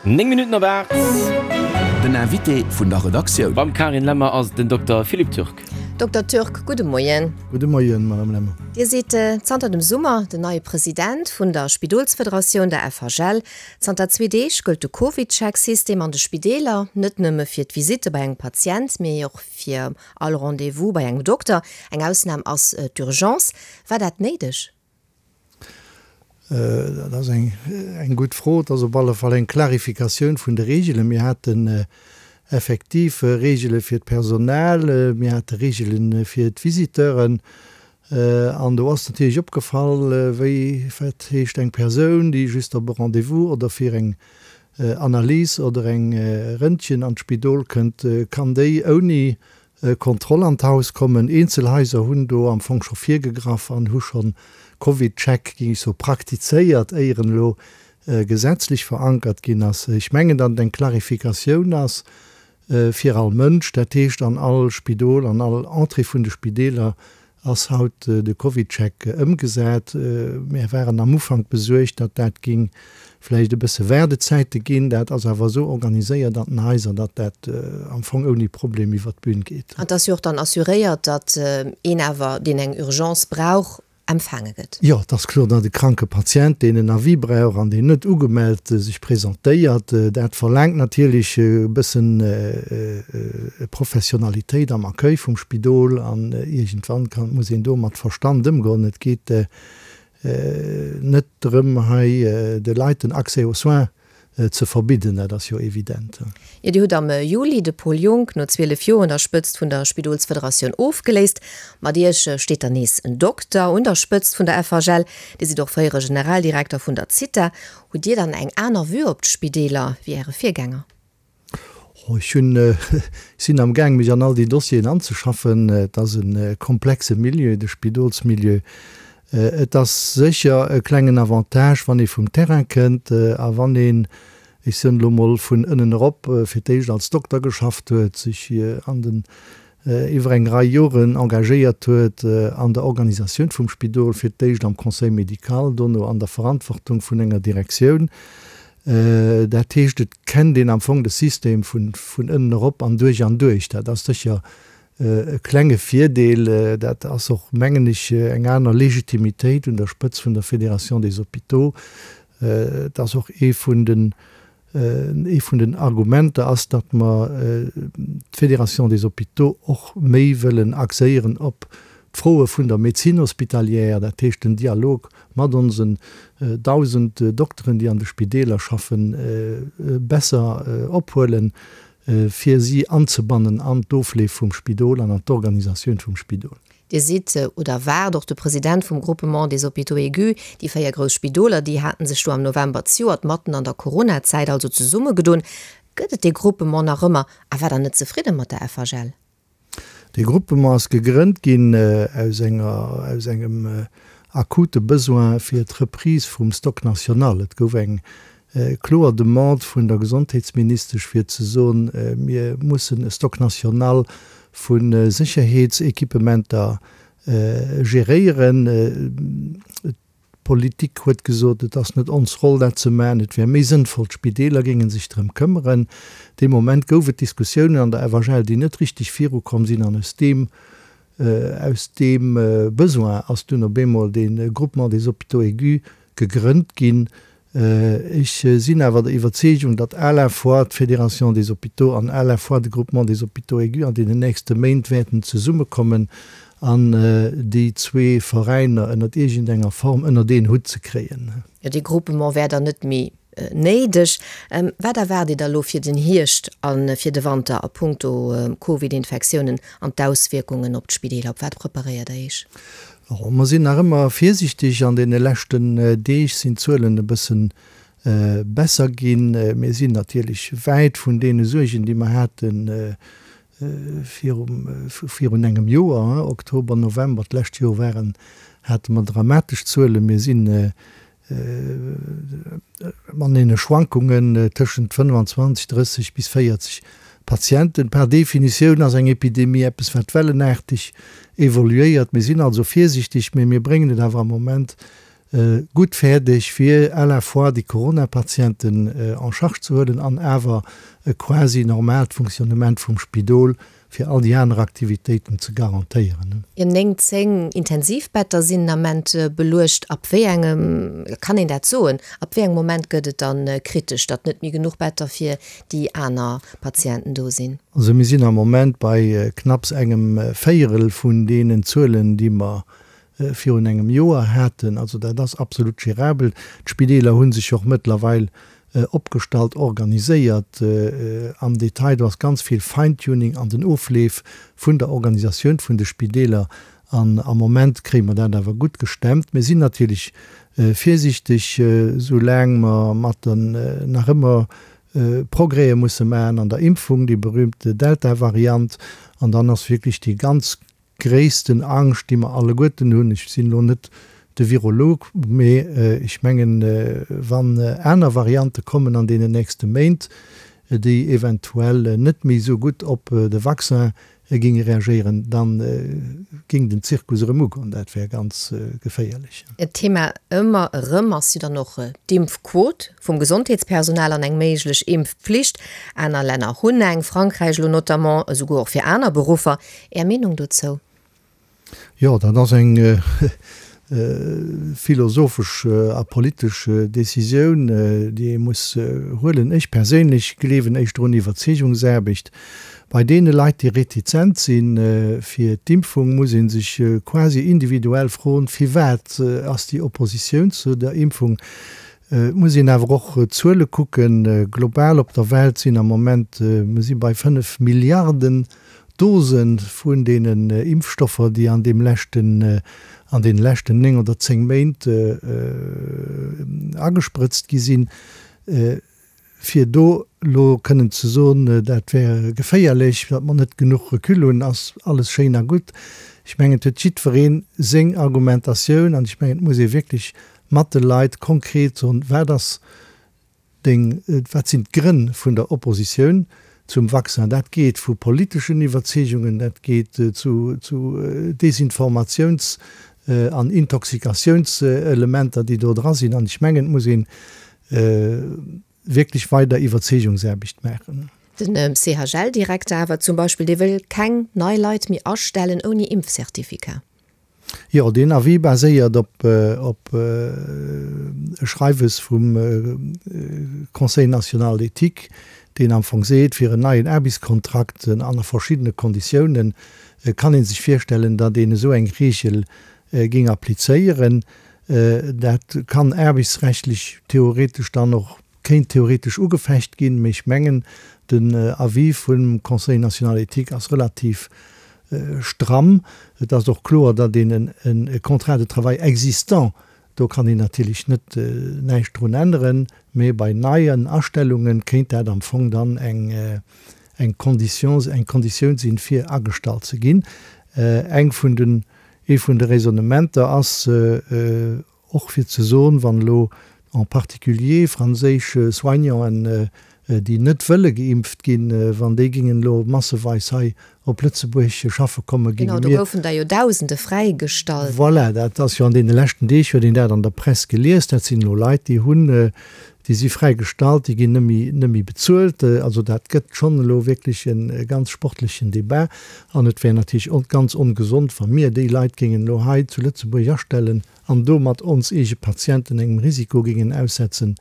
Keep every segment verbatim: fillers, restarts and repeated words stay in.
Néng Minutten op aacht. Den Invité vun der Redaktioun. Beim Carine Lemmer ass den Dokter Philippe Turk. Dokter Turk, gudde Moien. Gudde Moien, Madame Lemmer. Dir sidd zanter dem Summer den neie President vun der Spidolsfederatioun, der F H L. Zanter zwee Deeg gëllt de Covid-Check-System an de Spideeler, net nëmme fir d'Visitte bei engem Patient, mee och fir all Rendez-vous bei engem Dokter. Eng Ausnam ass d'Urgence. War dat néideg? Dat ass eng, eng gutt Fro. Et ass op alle Fall eng Klarifikatioun vun de Reegelen. Mir haten effektiv Reegele fir d'Personal, mir hate Reegele fir d'Visiteuren. An do ass natierlech opgefall, wéi, wat heescht eng Persoun, déi just op e Rendez-vous oder fir eng Analys oder eng Röntgen an d'Spidol kënnt, kann déi ouni Kontroll an d'Haus kommen. Eenzel Haiser hunn do am Fong scho virgegraff an hu schonn Covid-Check, géing ech soen, praktizéiert, éier en elo gesetzlech verankert ginn ass. Ech mengen, datt et eng Klarifikatioun ass fir all Mënsch. Dat heescht, an all Spidol, an all Entrée vun de Spideeler ass haut de Covid-Check ëmgesat. Mir waren am Ufank besuergt, datt dat géing vläicht e bësse Waardezäite ginn. Dat ass awer esou organiséiert an den Haiser, datt dat am Fong ouni Problem iwwer d'Bün geet. An et ass jo och dann assuréiert, datt een awer, deen eng Urgence brauch, empfaange gëtt. Jo, et ass kloer, datt e kranke Patient, deen en Avis brauch an deen net ugemellt sech presentéiert, dat verlaangt natierlech e bëssen Professionalitéit am Accueil vum Spidol an iergendwann kann, muss een do mat Verstand ëmgoen. Et geet net drëm, hei de Leit den Accès aux soins ze verbidden, dat ass jo evident. Jo, Dir hutt am Juli de Paul Junck no zwielef Joer un der Spëtzt vun der Spidolsfederatioun ofgeléist. Mat Iech steet dann nees en Dokter un der Spëtzt vun der F H L. Dir sidd och fréiere Generaldirekter vun der Zitha. Hutt Dir dann eng aner Vue op d'Spideeler wéi Äre Virgänger? Oh, ech hunn, ech sinn am Gaang, mech an all déi Dossieren anzeschaffen. Et ass e komplexe Milieu, de Spidolsmilieu. Et ass sécher e klengen Avantage, wann ee vum Terrain kënnt a wann een, ech soen elo mol, vun ënnen erop fir d'éischt als Dokter geschafft huet, sech an den, iwwer eng Rei Joren engagéiert huet an der Organisatioun vum Spidol, fir d'éischt am Conseil médical, dono an der Verantwortung vun enger Direktioun. Dat heescht, et kennt een am Fong de System vun, vun ënnen erop an duerch an duerch. Dat ass sécher e klenge Virdeel. Dat ass och, mengen ech, eng aner Legitimitéit un der Spëtz vun der Fédération des Hôpitaux. Dat ass och ee vun den, ee vun den Argumenter ass, datt mer d'Fédération des Hôpitaux och méi wëllen axéieren op d'Froe vun der Médecine hospitalière, dat heescht den Dialog mat onsen dausend Dokteren, déi an de Spideeler schaffen, besser ophuelen, fir si anzebannen an d'Ofleef vum Spidol an an d'Organisatioun vum Spidol. Dir sidd oder waart och de President vum Groupement des Hôpitaux aigus. Déi véier grouss Spidoler, déi haten sech do am November zejoert matten an der Corona-Zäit also zesummegedoen. Gëtt et dee Groupement nach ëmmer a war der net zefridde mat der F H L? Dee Groupement ass gegrënnt ginn aus enger, aus engem akute Besoin fir d'Reprise vum Stock national. Et gouf eng kloer Demande vun der Gesondheetsministesch fir ze soen, mir mussen e Stock national vu Sécherheetsequipementer geréieren. D'Politik huet gesot, et ass net ons Roll dat ze maachen, et wär méi sënnvoll, d'Spideeler géingen sech drëm këmmeren. Dee Moment gouf et Diskussiounen an der F H L, déi net richteg virukomm sinn, an aus deem, aus deem Besoin ass dunn op eemol de Groupement des Hôpitaux aigus gegrënnt ginn. Ech sinn awer der Iwwerzeegung, datt à la fois d'Fédération des Hôpitaux an à la fois de Groupement des Hôpitaux aigus an deenen nächste Méint wäerten zesummekommen an déi zwee Veräiner ënnert iergendenger Form ënner een Hutt ze kréien. Jo, dee Groupement wär dann net méi néideg. Wat erwaart Dir da lo fir den Hierscht a fir de Wanter a puncto Covid-Infektiounen an d'Auswierkungen op d'Spideeler? Op wat preparéiert Der Iech? Oh, mer sinn nach ëmmer virsiichteg. An deene leschten Deeg sinn d'Zuelen e bëssen besser ginn. Mir sinn natierlech wäit vun deene Suergen, déi mer haten virum, virun engem Joer, hein, Oktober, November, d'lescht Joer waren, hate mer dramatesch Zuelen. Mir sinn an deene Schwankungen tëschent fënnwanzwanzeg, drësseg bis véierzeg Patienten. Per Definitioun ass eng Epidemie eppes, wat wellenaarteg evoluéiert. Mir sinn also virsiichteg, mee mir bréngen et awer am Moment gutt fäerdeg fir à la fois déi Corona-Patienten en charge ze huelen an awer e quasi normaalt Fonctionnement vum Spidol fir all déi aner Aktivitéiten ze garantéieren. Jo, néng, zéng Intensivbetter sinn den Ament beluecht. Ab wéi engem, kann een dat soen, ab wéi engem Moment gëtt et dann kritesch, datt net méi genuch Better fir déi aner Patienten do sinn? Also mir sinn am Moment bei knapps engem Véierel vun deenen Zuelen, déi mer virun engem Joer haten. Also dat ass absolut gérabel. D'Spideeler hu sech och mëttlerweil opgestallt, organiséiert am Detail. Do ass ganz vill Feintuning an den Ofleef vun der Organisatioun vun de Spideeler. An am Moment kréie mer dat awer gutt gestemmt. Mir sinn natierlech virsiichteg, soulaang mer mat den nach ëmmer Progrèse musse maachen an der Impfung, déi berühmte Delta-Variant. An dann ass wierklech déi ganz gréissten Angscht, déi mer alleguerten hunn, ech sinn elo net de Virolog, mee ech mengen, wann aner Variante kommen an deenen nächste Méint, déi eventuell net méi esou gutt op de Vaccin géinge reagéieren, da géing den Zirkus erëm ugoen. Dat wär ganz geféierlech. En Thema ëmmer erëm ass jo dann och d'Impfquot vum Gesondheetspersonal an eng méiglech Impfpflicht. Aner Länner hunn eng, Frankräich elo notamment, esouguer och fir aner Beruffer. Är Meenung dozou? Jo, dat ass eng philosophesch a politesch Decisioun, déi ee muss huelen. Ech perséinlech gleewen éischter un Iwwerzeegungsaarbecht. Bei deene Leit, déi retizent si fir d'Impfung, muss ee sech quasi individuell froen, Firwat ass déi Oppositioun zu der Impfung? Et muss een awer och d'Zuele kucken. Global op der Welt sinn am Moment, mir si bei fënnef Milliarden Dose vun deenen Impfstoffer, déi an deem leschten, an deene leschten néng oder zéng Méint agesprëtzt gi sinn. Fir do elo kënnen ze soen, dat wär geféierlech, datt mer net genuch Recul hunn, ass alles schéin a gutt. Ech mengen, et huet jiddweree seng Argumentatioun an ech mengen, et muss ee wierklech mat de Leit konkret soen, wat ass deng, wat sinn d'Grënn vun der Oppositioun zum Vaccin. Dat geet vu politeschen Iwwerzeegungen, dat geet zu Desinformatiouns an Intoxikatiounselementer, déi do dra sinn. An ech mengen, et muss ee wierklech weider Iwwerzeegungsaarbecht maachen. Den C H L-Direkter awer zum Beispill, dee wëll keng nei Leit méi astellen ouni Impfcertificat. Jo, deen Avis baséiert op op e Schreiwes vum Conseil national d'éthique, deen am Fong seet, fir en neien Aarbechtskontrakt ënner verschiddene Konditiounen kann ee sech virstellen, datt een esou eng Reegel géing applizéieren. Dat kann aarbechtsrechtlech theoretesch dann och, kéint theoretesch ugefecht ginn, mee ech mengen, den Avis vum Conseil national d'éthique ass relativ stramm. Et ass och kloer, datt een e Contrat de travail existant, do kann een natierlech net näischt drun änneren, mee bei neien Astellunge kéint dat am Fong dann eng eng Condition eng Konditioun sinn, fir agestallt ze ginn. Eng vun den, ee vun de Raisonnementer ass och fir ze soen, wann elo en particulier franséisch Soignanten, déi net wëlle geimpft ginn, wann déi gingen elo masseweis hei op Lëtzebuerg schaffe kommen, ginge mir. Genau, do goufen der jo Dausende fräigestallt. Voilà, dat ass jo an deene leschten Deeg, huet een dat an der Press gelies. Dat sinn elo Leit, déi hunn, déi si fräigestallt, déi ginn net méi, net méi bezuelt. Also dat gëtt schonn elo wierklech e ganz sportlechen Debat. An et wär natierlech ganz ongesond, wa mir déi Leit géingen elo hei zu Lëtzebuerg astellen an domat ons eege Patienten engem Risiko géingen aussetzen,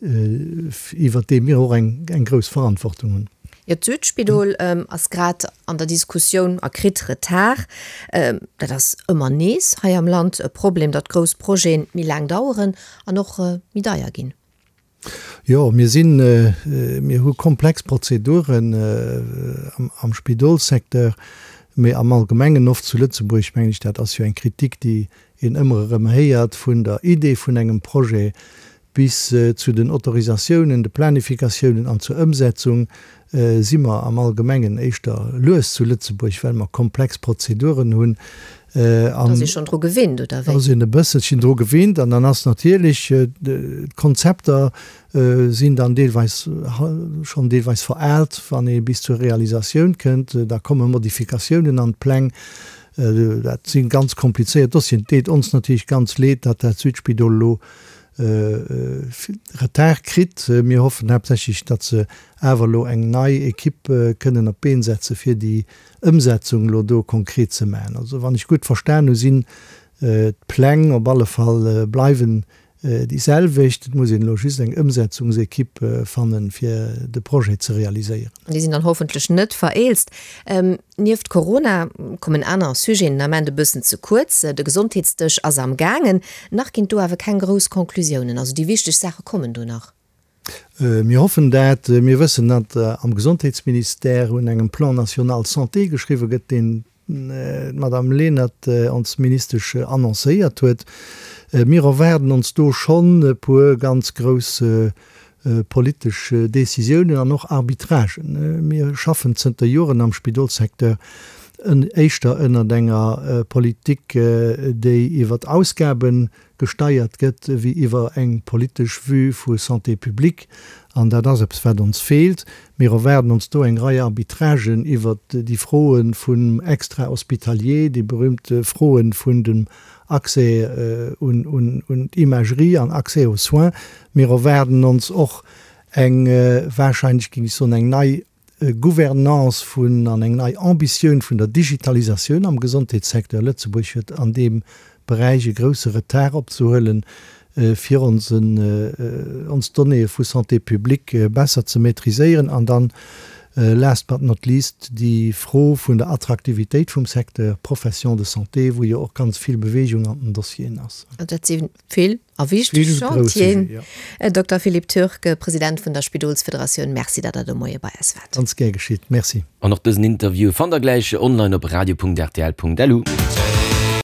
iwwert dee mir och eng grouss Verantwortung hunn. Jo, d'Südspidol ass grad an der Diskussioun a kritt Retard. Dat ass ëmmer nees hei am Land e Problem, datt grouss Projete méi laang daueren an och méi deier ginn. Jo, mir sinn, mir hu komplex Prozeduren am Spidolssecteur, mee am Allgemengen oft zu Lëtzebuerg, mengen ech, dat ass jo eng Kritik, déi een ëmmer erëm héiert, vun der Idee vun engem Projet bis zu den Autorisatiounen, de Planifikatiounen an zur Ëmsetzung si mer am Allgemengen éischter lues zu Lëtzebuerg, well mer komplex Prozeduren hunn. Da ass ee schonn dru gewinnt, oder wéi? Da ass een e bësselchen dru gewinnt an dann ass natierlech, d'Konzepter sinn dann deelweis schonn deelweis veraalt, wann ee bis zur Realisatioun kënnt. Da komme Modifikatiounen an d'Pläng. Dat si ganz komplizéiert Dossieren. Et deet ons natierlech ganz leed, datt dat Südspidol elo Retard kritt. Mir hoffen haaptsächlech, datt se awer elo eng nei Equipe kënnen op d'Been setze fir déi Ëmsetzung elo do konkret ze maachen. Also wann ech gutt verstan hu sinn d'Pläng op alle Fall bleiwen déi selwecht. Et muss een elo just eng Ëmsetzungsequipe fannen, fir de Projet ze realiséieren. Déi sinn dann hoffentlech net vereelzt. Nieft Corona kommen aner Sujeten den Ament e bëssen ze kuerz. De Gesondheetsdësch ass am gaangen. Nach ginn et do awer keng grouss Conclusiounen. Also déi wichteg Saache kommen do nach. Mir hoffen dat. Mir wëssen, datt am Gesondheetsministère un engem Plan national santé geschriwwe gëtt, deen d'Madame Lenert, ons Ministesch, annoncéiert huet. Mir erwaarden ons do schonn e puer ganz grouss politesch Décisiounen an och Arbitragen. Mir schaffen zënter Joren am Spidolssecteur éischter ënnert enger Politik, déi iwwer Ausgabe gesteiert gëtt, wéi iwwer eng politesch Vue vu Santé publique. An dat ass eppes, wat ons feelt. Mir erwaarden ons do eng Rei Arbitragen iwwert déi Froe vum Extra-hospitalier, déi berühmte Froe vun dem Accès un d'Imagerie an Accès aux soins. Mir erwaarden ons och eng, wahrscheinlech géing ech soen, eng nei Gouvernance vun an eng nei Ambitioun vun der Digitalisatioun am Gesondheetssecteur. Lëtzebuerg huet an deem Beräich e grousse Retard opzehuelen, fir onsen, ons Donnéeë vu Santé publique besser ze maîtriséieren. An dann, last but not least, déi Fro vun der Attraktivitéit vum Secteur Professions de santé, wou jo och ganz vill Bewegung an den Dossieren ass. Dat si vill a wichteg Chantieren. Dokter Philippe Türk, President vun der Spidolsfederatioun, Merci, datt Der de Moie bei eis waart. Ganz gär geschitt. Merci. An och dësen Interview fannt der gläich online op radio.rtl.lu.